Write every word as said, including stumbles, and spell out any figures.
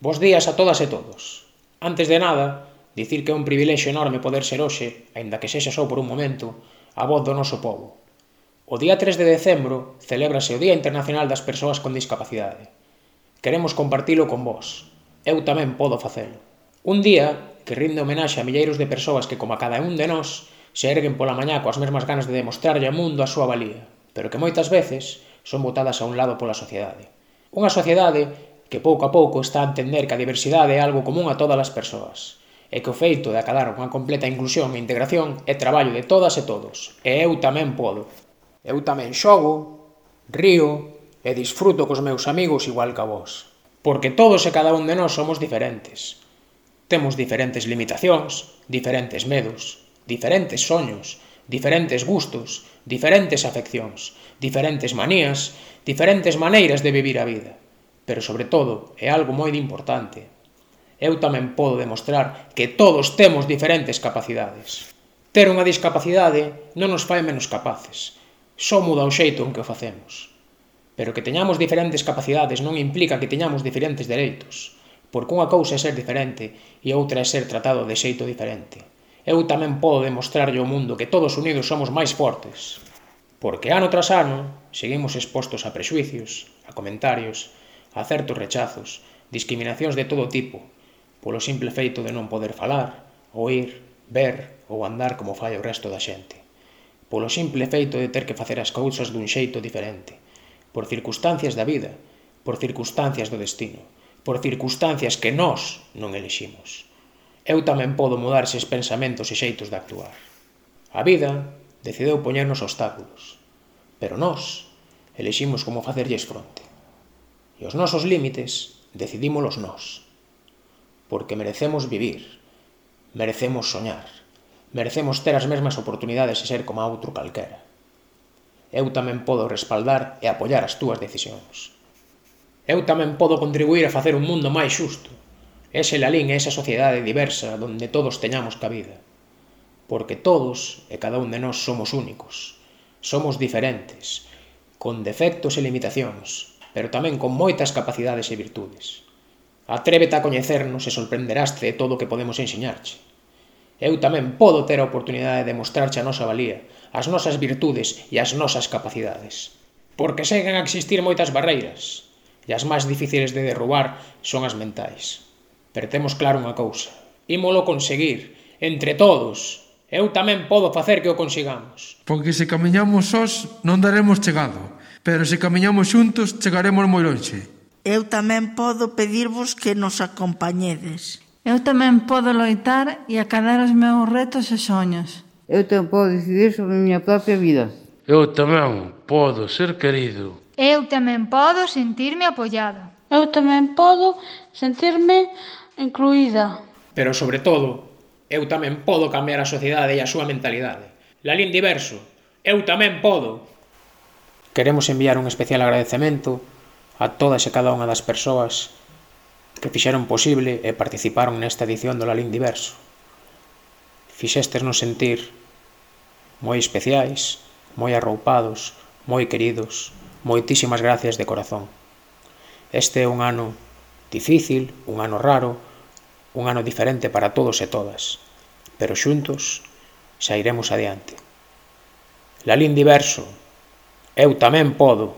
Bos días a todas e todos. Antes de nada, dicir que é un privilexio enorme poder ser hoxe, aínda que sexa só por un momento, a voz do noso pobo. O día tres de decembro celébrase o Día Internacional das Persoas con Discapacidade. Queremos compartilo con vós. Eu tamén podo facelo. Un día que rinde homenaxe a milleiros de persoas que, como a cada un de nós, se erguen pola mañá coas mesmas ganas de demostrarlle ao mundo a súa valía, pero que moitas veces son botadas a un lado pola sociedade. Unha sociedade que pouco a pouco está a entender que a diversidade é algo común a todas as persoas, e que o feito de acadar unha completa inclusión e integración é traballo de todas e todos, e eu tamén podo. Eu tamén xogo, río e disfruto cos meus amigos igual que a vos, porque todos e cada un de nós somos diferentes. Temos diferentes limitacións, diferentes medos, diferentes soños, diferentes gustos, diferentes afeccións, diferentes manías, diferentes maneiras de vivir a vida. Pero, sobre todo, é algo moi importante. Eu tamén podo demostrar que todos temos diferentes capacidades. Ter unha discapacidade non nos fai menos capaces, só muda o xeito en que o facemos. Pero que teñamos diferentes capacidades non implica que teñamos diferentes dereitos, porque unha cousa é ser diferente e outra é ser tratado de xeito diferente. Eu tamén podo demostrarlle ao mundo que todos unidos somos máis fortes, porque ano tras ano seguimos expostos a prexuicios, a comentarios, a certos rechazos, discriminacións de todo tipo, polo simple feito de non poder falar, oír, ver ou andar como fai o resto da xente, polo simple feito de ter que facer as cousas dun xeito diferente, por circunstancias da vida, por circunstancias do destino, por circunstancias que nós non eliximos. Eu tamén podo mudar eses pensamentos e xeitos de actuar. A vida decideu poñernos obstáculos, pero nós eliximos como facerlles fronte. E os nosos límites decidímolos nós, porque merecemos vivir, merecemos soñar, merecemos ter as mesmas oportunidades e ser como a outro calquera. Eu tamén podo respaldar e apoiar as túas decisións. Eu tamén podo contribuir a facer un mundo máis xusto, ese lalín e esa sociedade diversa donde todos teñamos cabida, porque todos e cada un de nós somos únicos, somos diferentes, con defectos e limitacións, pero tamén con moitas capacidades e virtudes. Atrévete a coñecernos e sorprenderaste de todo o que podemos ensiñarche. Eu tamén podo ter a oportunidade de mostrarche a nosa valía, as nosas virtudes e as nosas capacidades. Porque seguen a existir moitas barreiras, e as máis difíciles de derrubar son as mentais. Pero temos claro unha cousa, ímolo conseguir, entre todos. Eu tamén podo facer que o consigamos. Porque se camiñamos sós non daremos chegado, pero se camiñamos xuntos chegaremos moi lonxe. Eu tamén podo pedirvos que nos acompañedes. Eu tamén podo loitar e acadar os meus retos e soños. Eu tamén podo decidir sobre a miña propia vida. Eu tamén podo ser querido. Eu tamén podo sentirme apoiado. Eu tamén podo sentirme incluída. Pero, sobre todo, eu tamén podo cambiar a sociedade e a súa mentalidade. Lalín diverso, eu tamén podo. Queremos enviar un especial agradecemento a todas e cada unha das persoas que fixeron posible e participaron nesta edición do Lalín Diverso. Fixestes-nos sentir moi especiais, moi arroupados, moi queridos. Moitísimas gracias de corazón. Este é un ano difícil, un ano raro, un ano diferente para todos e todas, pero xuntos xa iremos adiante. Lalín Diverso, eu tamén podo.